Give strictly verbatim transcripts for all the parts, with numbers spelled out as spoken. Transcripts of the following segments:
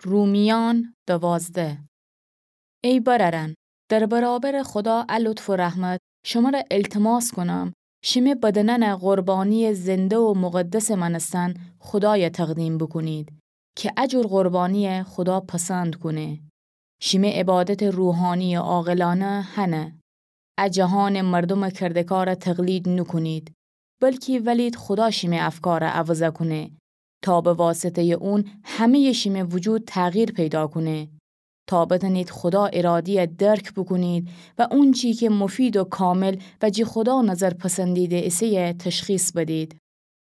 رومیان دوازده. ای برأرأن، در برابرٚ خودا ا لطف و رحمت شمرَ التماس کونم، شیمه بدنأنَ قربانیٚ زنده و مقدسٚ مأنستن خودایَ تقدیم بوکونید، کی ا جور قربانیَ خودا پسند کونه. شیمه عبادتٚ روحانیٚ عاقلأنه هنه. ا جهانٚ مردومٚ کرده‌کارَ تقلید نوکونید، بلکی ولید خودا شیمه افکارَ عوضَ کونه، تا به واسطه‌یٚ اون همه‌یٚ شیمه وجود تغییر پیدا کونه، تا بتأنید خودا اراده‌یَ درک بوکونید و اونچی کی مفید و کامل و جٚه خودا نظر پسندیده ایسه‌یَ تشخیص بدید.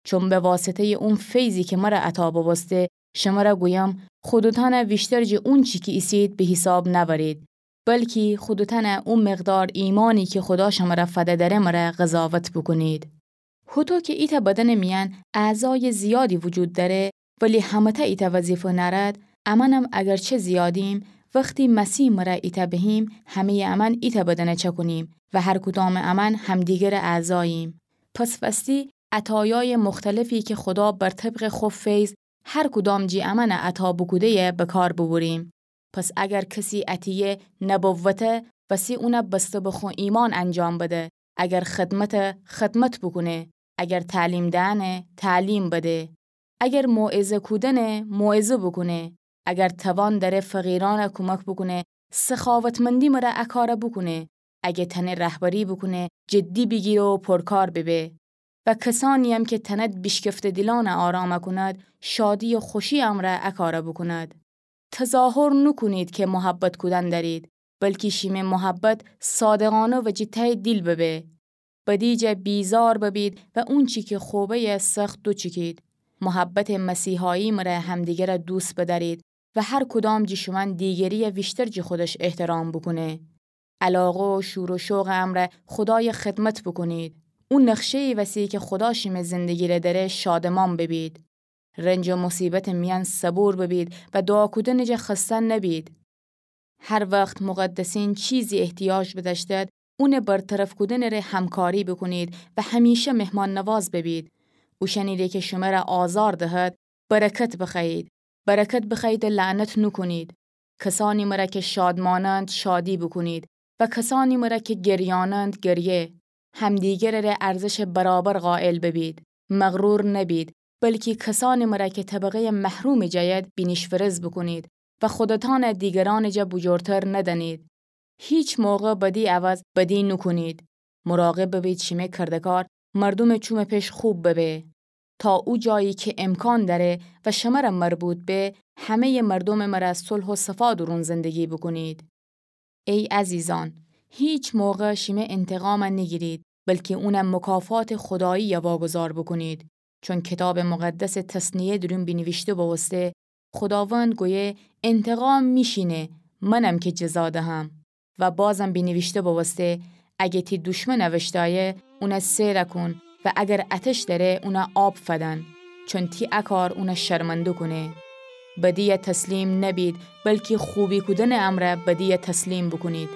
چون به واسطه‌یٚ او فیضی کی مرَ عطا بوبوسته، شمرَ گویم، خودتأنَ ویشتر جٚه اونچی کی ایسید به حیساب نأورید، بلکی خودتأنَ او مقدار ایمانی کی خودا شمرَ فده دأره مرَ قضاوت بوکونید. هوطو کی ایتأ بدنٚ میأن اعضایٚ زیادی وجود دأره، ولی همه‌تأ ایتأ وظیفه نأرد، امأنم اگرچه زیادیم، وختی مسیح مرَ ایتأ بهیم، همه‌یٚ امأن ایتأ بدنَ چأکونیم و هر کدامٚ امأن همدیگرٚ اعضاییم. پس وستی عطایایٚ مختلفی کی خودا بر طبقٚ خو فیض هر کدام جٚه امأنَ عطا بوکوده‌یَ به کار ببریم. پس اگر کسی عطیه نبوته، وستی اونَ بسته به خو ایمان انجام بده. اگر خدمته، خدمت بوکونه. اگر تعلیم دئنه، تعلیم بده. اگر موعظه کودنه، موعظه بوکونه. اگر توان دأره فقیرأنَ کومک بوکونه، سخاوتمندی مرَ ا کارَ بوکونه. اگه تأنه رهبری بوکونه، جدی بیگیره و پرکار ببه. و کسأنی‌یم کی تأند بیشکفته دیلأنَ آرام کوند، شادی و خوشی امرأ ا کارَ بوکوند. تظاهر نوکونید کی محبت کودن دأرید، بلکی شیمه محبت صادقأنه و جٚه ته‌یٚ دیل ببه. بدی جا بیزار ببید و اونچی کی خوبه‌یَ سخت دوچیکید. محبتٚ مسیحایی مرَ همدیگرَ دوست بدأرید و هر کدام جٚه شومأن دیگری‌یَ ویشتر جٚه خودش احترام بوکونه. علاقه و شور و شوقٚ امرأ خودایَ خدمت بوکونید. او نقشه‌یی وسی کی خودا شیمه زندگی‌ره دأره شادمان ببید. رنج و مصیبتٚ میأن صبور ببید و دوعا کودنٚ جا خسته نبید. هر وخت مقدسین چیزی احتیاج بدأشتد، اونٚ برطرف کودنٚره همکاری بوکونید و همیشه مهمان‌نواز ببید. اوشأنی‌ره کی شمرَ آزار دهد، برکت بخوأیید. برکت بخوأیید و لعنت نوکونید. کسأنی مرَ کی شادمانند شادی بوکونید و کسأنی مرَ کی گریانند گریه. همدیگرٚره ارزشٚ برابر قائل ببید. مغرور نبید، بلکی کسأنی مرَ کی طبقه‌یٚ محرومٚ جا اید بینیش‌فرز بوکونید و خودتأنَ دیگرأنٚ جا بوجورتر ندأنید. هیچ موقع بدی عوض بدی نوکونید. مراقب ببید شیمه کرده‌کار مردومٚ چومٚ پش خوب ببه، تا او جایی کی امکان دأره و شمرَ مربوط به، همه‌یٚ مردومٚ مرَ صلح و صفا دورون زندگی بوکونید. ای عزیزأن، هیچ موقع شیمه انتقامَ نیگیرید، بلکی اونَ مکافاتٚ خودایی‌یَ واگذار بوکونید. چون کیتابٚ مقدسٚ تثنیه دورون بینیویشته بوبوسته، خوداوند گویه، انتقام می‌شینه، منم کی جزا دهم. و بازم بینیویشته بوبوسته، اگه تی دوشمن اوشتأیه، اونَ سئرَ کون و اگر اتش دأره، اونَ آب فدن، چون تی ا کار اونَ شرمنده کونه. بدی‌یَ تسلیم نبید، بلکی خوبی کودنٚ امرأ بدی‌یَ تسلیم بوکونید.